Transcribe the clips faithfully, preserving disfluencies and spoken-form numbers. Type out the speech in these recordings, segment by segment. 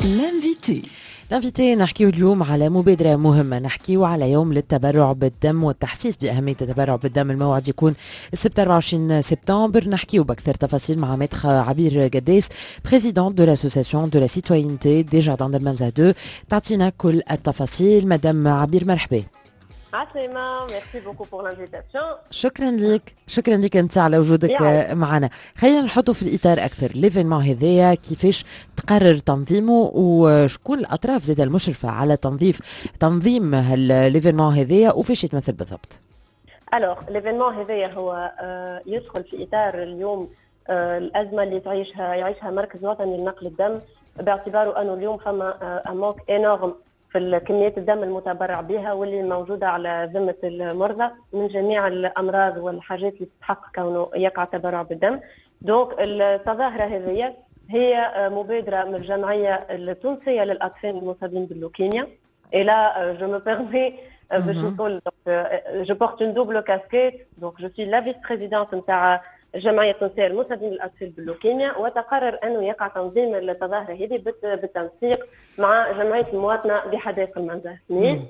L'invité. L'invité، نحكيو اليوم على مبادرة مهمة، نحكيو على يوم للتبرع بالدم والتحسيس بأهمية التبرع بالدم. الموعد يكون السبت أربعة وعشرين سبتمبر. نحكيو بأكثر تفاصيل مع maître عبير قداس، présidente de l'association de la citoyenneté des Jardins d'El Menzah deux، تعطينا كل التفاصيل. مدام عبير، مرحبا. عسلامة، merci beaucoup pour l'invitation. شكرا لك، شكرا لك انت على وجودك معنا. خلينا نحطه في الاطار اكثر، l'événement هذايا كيفاش تقرر تنظيمه وشكون الاطراف زاد المشرفة على تنظيف تنظيم l'événement هذايا وفاش يتمثل بالضبط؟ Alors l'événement هذايا هو آه، يدخل في اطار اليوم آه، الازمة اللي تعيشها يعيشها مركز وطني لنقل الدم، باعتباره انه اليوم فما un manque énorme في كميات الدم المتبرع بها واللي موجودة على ذمه المرضى من جميع الامراض والحاجات اللي تستحق كونه يقع التبرع بالدم. donc التظاهرة هذه هي مبادرة من الجمعية التونسية للاطفال المصابين باللوكيميا. Et là, je me permets باش نقول je porte une double casquette، donc je suis la vice-présidente نتاع الجمعية التونسية للمصابين بالاطفال باللوكيميا، وتقرر انه يقع تنظيم التظاهرة هذه بالتنسيق مع جمعية المواطنة بحدائق المنزه اثنين،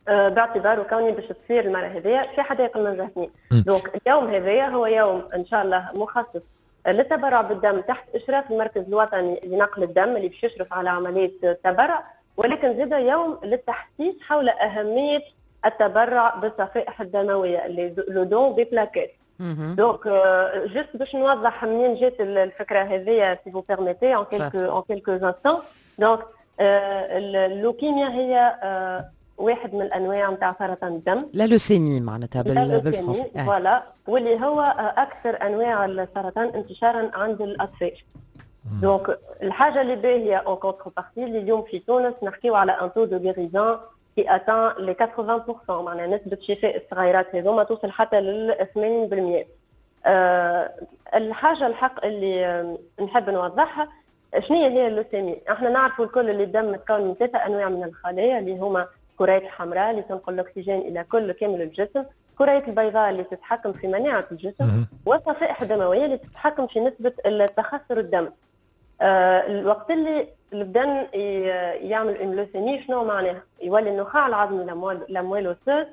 آه، باعتباره كوني باش تصير المرة هذيا في حدائق المنزه اثنين. donc اليوم هذايا هو يوم ان شاء الله مخصص للتبرع بالدم تحت اشراف المركز الوطني لنقل الدم اللي باش يشرف على عملية التبرع، ولكن زاد يوم للتحسيس حول اهمية التبرع بالصفائح الدمويه، le don des plaquettes. donc juste باش نوضح منين جات الفكرة هذه، si vous permettez en quelques en quelques instants. donc اللوكيميا هي واحد من الانواع نتاع سرطان الدم. la leucémie معناتها بالفرنسي. voilà، واللي هو اكثر انواع السرطان انتشارا عند الاطفال. donc الحاجة اللي باهيه en contrepartie، اللي اليوم في تونس نحكيو على un taux de guérison qui atteint les quatre-vingts pour cent، معناها نسبه شفاء الصغيرات هذوما توصل حتى لل ثمانين بالمية. أه الحاجة الحق اللي نحب نوضحها، شنو هي اللوسيمي؟ احنا نعرفوا الكل اللي الدم متكون من ثلاثة انواع من الخلايا، اللي هما كريات الحمراء اللي تنقل الاكسجين الى كل كامل الجسم، كريات البيضاء اللي تتحكم في مناعة الجسم، والصفائح الدموية اللي تتحكم في نسبه التخثر الدم. آه الوقت اللي البدن يعمل une leucémie، شنو معناها؟ يولي النخاع العظمي، la moelle osseuse،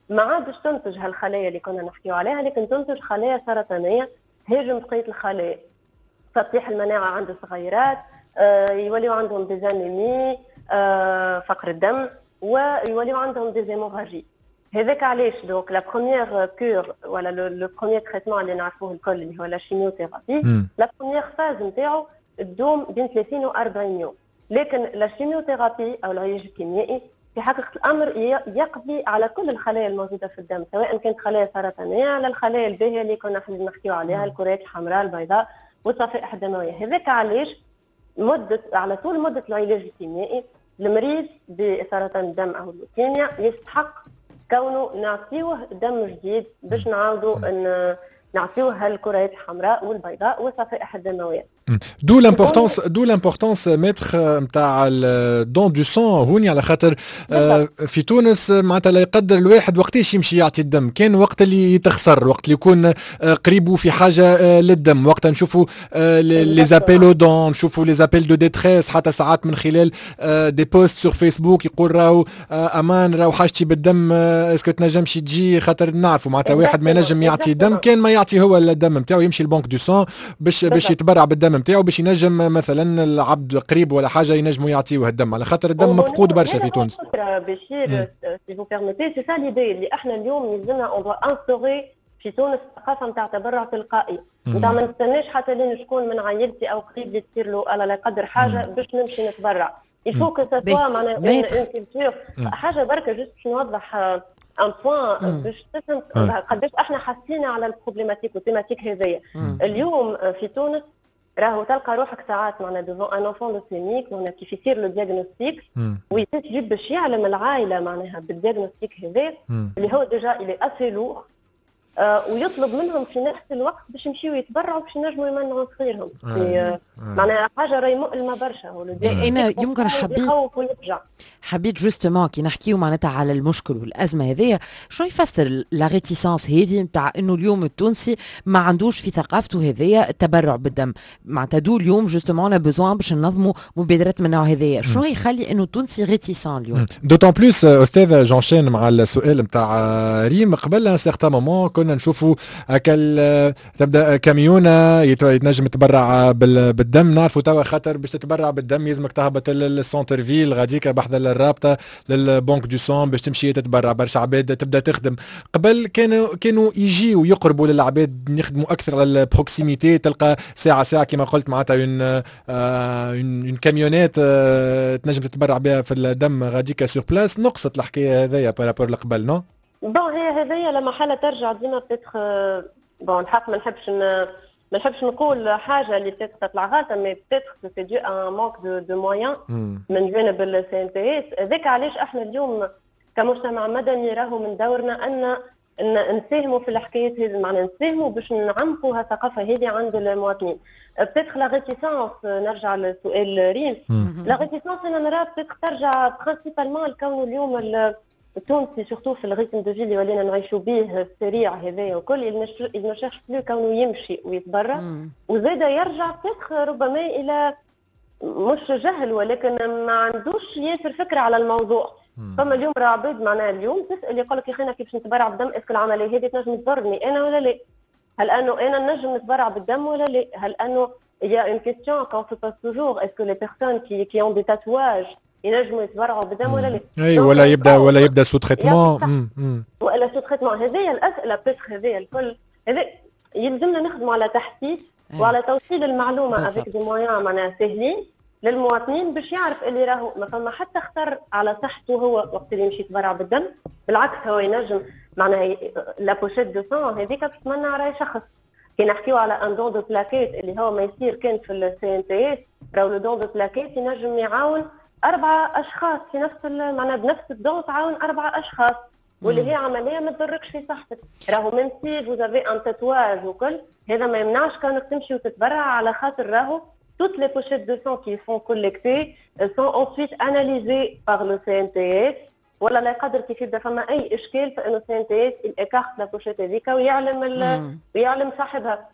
ما عادش تنتج هالخلايا اللي كنا نحكيو عليها، لكن تنتج خلايا سرطانية تهاجم بقية الخلايا، فتطيح المناعة عند الصغيرات، آه يوليو عندهم des anémies، آه فقر الدم، ويوليو عندهم des hémorragies. هذاك علاش donc la première cure ولا le premier traitement اللي نعرفوه الكل، اللي هو la chimiothérapie، la première phase نتاعو تدوم بين ثلاثين و أربعين يوم. لكن la chimiothérapie او العلاج الكيميائي في حقيقة الامر يقضي على كل الخلايا الموجودة في الدم، سواء كانت خلايا سرطانية على الخلايا الباهيه اللي كنا نحكيو عليها، الكريات الحمراء، البيضاء والصفائح الدمويه. هذاك علاش مده على طول مده العلاج الكيميائي المريض بسرطان الدم او اللوكيميا يستحق كونه نعطيوه دم جديد باش نعاودوا ان نعطيوه الكريات الحمراء والبيضاء والصفائح الدمويه. d'où l'importance d'où l'importance maître نتاع ال don du sang هوني، على خاطر آه، في تونس معناتها لا يقدر الواحد وقتاش يمشي يعطي الدم كان وقت اللي يتخسر، وقت اللي يكون آه، قريبه في حاجة آه، للدم. وقتها نشوفوا les appels aux dons، نشوفوا les appels de détresse، حتى ساعات من خلال des posts sur Facebook يقول راهو امان راهو حاجتي بالدم، est-ce que تنجمش تجي؟ خاطر نعرفوا معناتها واحد ما ينجم يعطي دم كان ما يعطي هو الدم نتاعو، يمشي ال banque du sang باش باش يتبرع بالدم نتاعو، باش ينجم مثلا العبد قريب ولا حاجة ينجموا يعطيوه الدم، على خاطر الدم مفقود برشا في تونس. بشير، si vous permettez، c'est ça l'idée اللي احنا اليوم يلزمنا on doit instaurer في تونس ثقافة نتاع تبرع تلقائي، نتاع ما نستناش حتى لين شكون من عائلتي او قريب لي تصير له الله لا يقدر حاجة باش نمشي نتبرع. il faut que ça soit معناها une culture. حاجة بركة juste باش نوضح un point باش تفهم قداش احنا حاسين على ال problématique وال thématique هذيا. اليوم في تونس راهو تلقى روحك ساعات معنا devant un enfant leucémique، معناها كيف يصير le diagnostic ويجيب باش يعلم العائلة معناها بال diagnostic هذا اللي هو déjà il est assez lourd. آه ويطلب منهم في نفس الوقت باش يمشيو يتبرعوا باش ينجموا يمنعوا صغيرهم في آه معناها حاجة راهي مؤلمة برشا. هو انا يمكن حبيت ويرجع حبيت justement كي نحكيو معناتها على المشكل والازمة هذيا، شنو يفسر la réticence هذه نتاع انه اليوم التونسي ما عندوش في ثقافته هذيا التبرع بالدم؟ معناتها d'où اليوم justement le besoin باش ننظموا مبادرات من النوع هذايا. شنو يخلي انه التونسي réticent اليوم؟ d'autant plus استاذ، j'enchaîne مع السؤال نتاع ريم، قبل un certain moment كنا نشوفوا هكا تبدا كاميونه يتنجم تبرع بالدم. نعرفوا توا خاطر باش تتبرع بالدم يلزمك تهبط لل centre-ville غاديكا بحذا الرابطة لل banque du sang باش تمشي تتبرع. برشا عباد تبدا تخدم. قبل كانوا كانوا يجيو يقربوا للعباد، يخدموا اكثر على ال proximité، تلقى ساعة ساعة كما قلت معناتها une une camionnette تنجم تتبرع بها في الدم غاديكا sur place. نقصت الحكاية هذيا par rapport لقبل، non؟ bon، هي هذيا لما حالة ترجع ديما peut-être، bon، الحق ما نحبش ما نحبش نقول حاجة اللي peut-être تطلع غلطه، mais peut-être c'est dû à un manque de de moyens من جانب ال CNTS. هذاك علاش احنا اليوم كمجتمع مدني راهو من دورنا ان ان نساهموا في الحكايات هذه، معناها نساهموا باش نعمقوا الثقافة هذه عند المواطنين. peut-être la réticence، نرجع لسؤال ريم، la réticence انا نرى peut-être ترجع principalement لكونه اليوم التونسي surtout في ال rythme de vie اللي ولينا نعيشوا به السريع هذايا وكل، il ne cherche plus كونه يمشي ويتبرع. وزاد يرجع peut-être ربما الى مش جهل ولكن ما عندوش ياسر فكرة على الموضوع. فما اليوم راه عباد معناها اليوم تسال يقول لك يا اخي كيفاش نتبرع بالدم؟ est-ce que العملية هذه تنجم تضرني انا ولا لا؟ هل انه انا نجم نتبرع بالدم ولا لا؟ هل انه il y a une question qu'on se pose toujours، est-ce que les personnes qui, qui ont des tatouages ينجموا يتبرعوا بالدم ولا لا؟ اي، ولا يبدا ولا يبدا sous traitement. ولا sous traitement. هذه الاسئلة peut-être هذه الكل هذا يلزمنا نخدموا على تحسيس وعلى توصيل المعلومة avec des moyens معناها سهلين للمواطنين باش يعرف اللي راهو ما فما حتى خطر على صحته هو وقت اللي يمشي يتبرع بالدم. بالعكس، هو ينجم معناها la pochette de sang هذيك باش تمنع راي شخص. كي نحكيو على un don de plaquettes اللي هو ما يصير كان في ال CNTS، راهو le don de plaquettes ينجم يعاون اربعة اشخاص في نفس معناها بنفس ال don تعاون اربعة اشخاص، واللي هي عملية ما تضركش في صحتك. راهو même si vous avez un tatouage وكل هذا ما يمنعش كانك تمشي وتتبرع، على خاطر راهو toutes les pochettes de sang qui sont collectées sont ensuite analysées par le CNTS، ولا لا يقدر كيف يبدا فما اي اشكال فانه CNTS écarte la pochette هذيك ويعلم ويعلم صاحبها.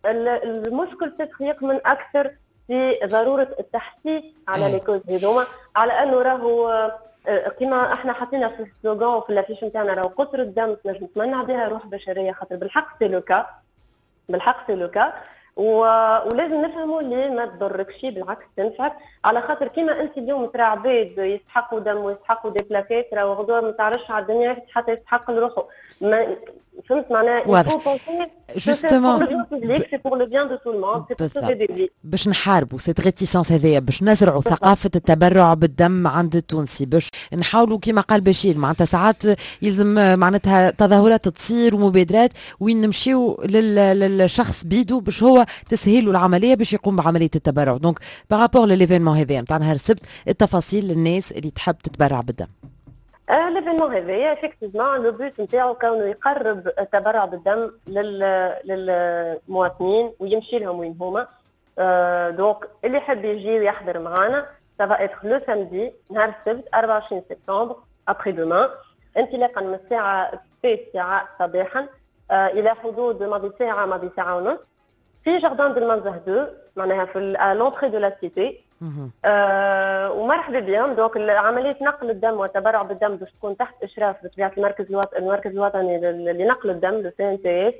فالمشكل تتخيق من اكثر في ضرورة التحسيس على les causes هذوما، على انه راهو آه، كما احنا حطينا في ال slogan في l'affiche نتاعنا، راهو قطرة الدم تنجم تمنع بها روح بشريه، خاطر بالحق c'est le cas، بالحق c'est le cas. و... ولازم نفهموا اللي ما تضركش، بالعكس تنفعك، على خاطر كيما انت اليوم ترى عباد يستحقوا دم ويستحقوا des plaquettes، راهو غدوه ما تعرفش على الدنيا حتى يستحق لروحه. ما فهمت معناها؟ واضح. justement c'est pour le bien de tout le monde، c'est pour sauver des vies. باش نحاربوا cette réticence هذيا، باش نزرعوا ثقافة التبرع بالدم عند التونسي، باش نحاولوا كما قال بشير معناتها ساعات يلزم معناتها تظاهرات تصير ومبادرات وين نمشيو للشخص بيدو باش هو تسهيل العملية باش يقوم بعملية التبرع. donc par rapport ل l'événement هذا نتاع نهار السبت، التفاصيل للناس اللي تحب تتبرع بالدم. l'événement هذايا effectivement le but نتاعو كونه يقرب التبرع بالدم للمواطنين ويمشي لهم وين هما. donc اللي يحب يجي ويحضر معنا، ça va être le samedi، نهار السبت أربعة وعشرين سبتمبر، après-demain، انطلاقا من الساعة التاسعة صباحا الى حدود ماضي ساعة ماضي ساعة ونص في jardin de المنزه اثنين، معناها في l'entrée de la cité. آه ومرحبا بهم. donc عملية نقل الدم والتبرع بالدم باش تكون تحت اشراف بطبيعة المركز الوطني المركز الوطني لنقل الدم، le CNTS،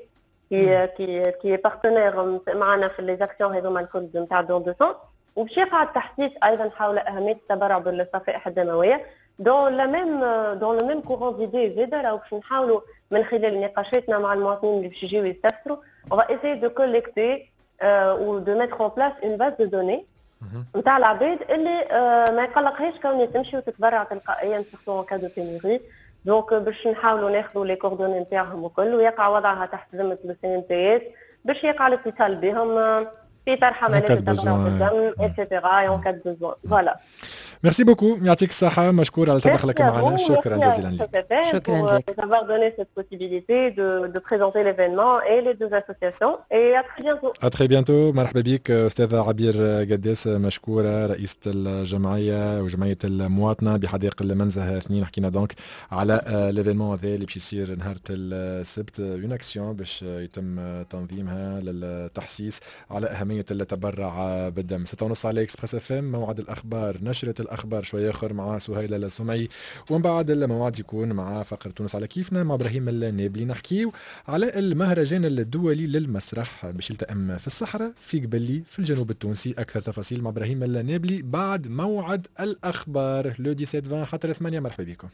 qui qui qui est partenaire معنا في les actions هذوما الكل نتاع don de sang. وباش يقع التحسيس ايضا حول اهمية التبرع بالصفائح الدمويه. dans la même dans le même courant d'idées زاده، راهو باش نحاولوا من خلال نقاشاتنا مع المواطنين اللي باش يجيو يستفسروا، on va essayer de collecter euh, ou de mettre en place une base de données نتاع العباد اللي آه ما يقلقهاش كوني تمشي وتتبرع تلقائيا، surtout en cas de pénurie. donc باش نحاولوا ناخذوا les coordonnées نتاعهم وكل ويقع وضعها تحت ذمه ال CNTS باش يقع الاتصال بهم في طرح عملية التبرع بالدم et cetera en cas de besoin، voilà. merci beaucoup، يعطيك الصحه، مشكور على تدخلك معنا، شكرا جزيلا لك. شكرا لك pour avoir donné cette possibilité de, de présenter l'événement et les deux associations et à très bientôt. À très bientôt. مرحبا بك استاذة عبير قداس، مشكورة، رئيسة الجمعية وجمعية المواطنة بحدائق المنزه اثنين. حكينا donc على l'événement هذا اللي باش يصير نهار السبت، une action باش يتم تنظيمها للتحسيس على أهمية التبرع بالدم. ستة ونص على Express FM، موعد الأخبار، نشرة الأخبار شوية آخر مع سهيلة السمعي، ومن بعد الموعد يكون مع فقرة تونس على كيفنا مع ابراهيم النابلي. نحكيو على المهرجان الدولي للمسرح باش يلتئم في الصحراء في قبلي في الجنوب التونسي. اكثر تفاصيل مع ابراهيم النابلي بعد موعد الاخبار، le dix-sept vingt حتى ثمانية. مرحبا بكم.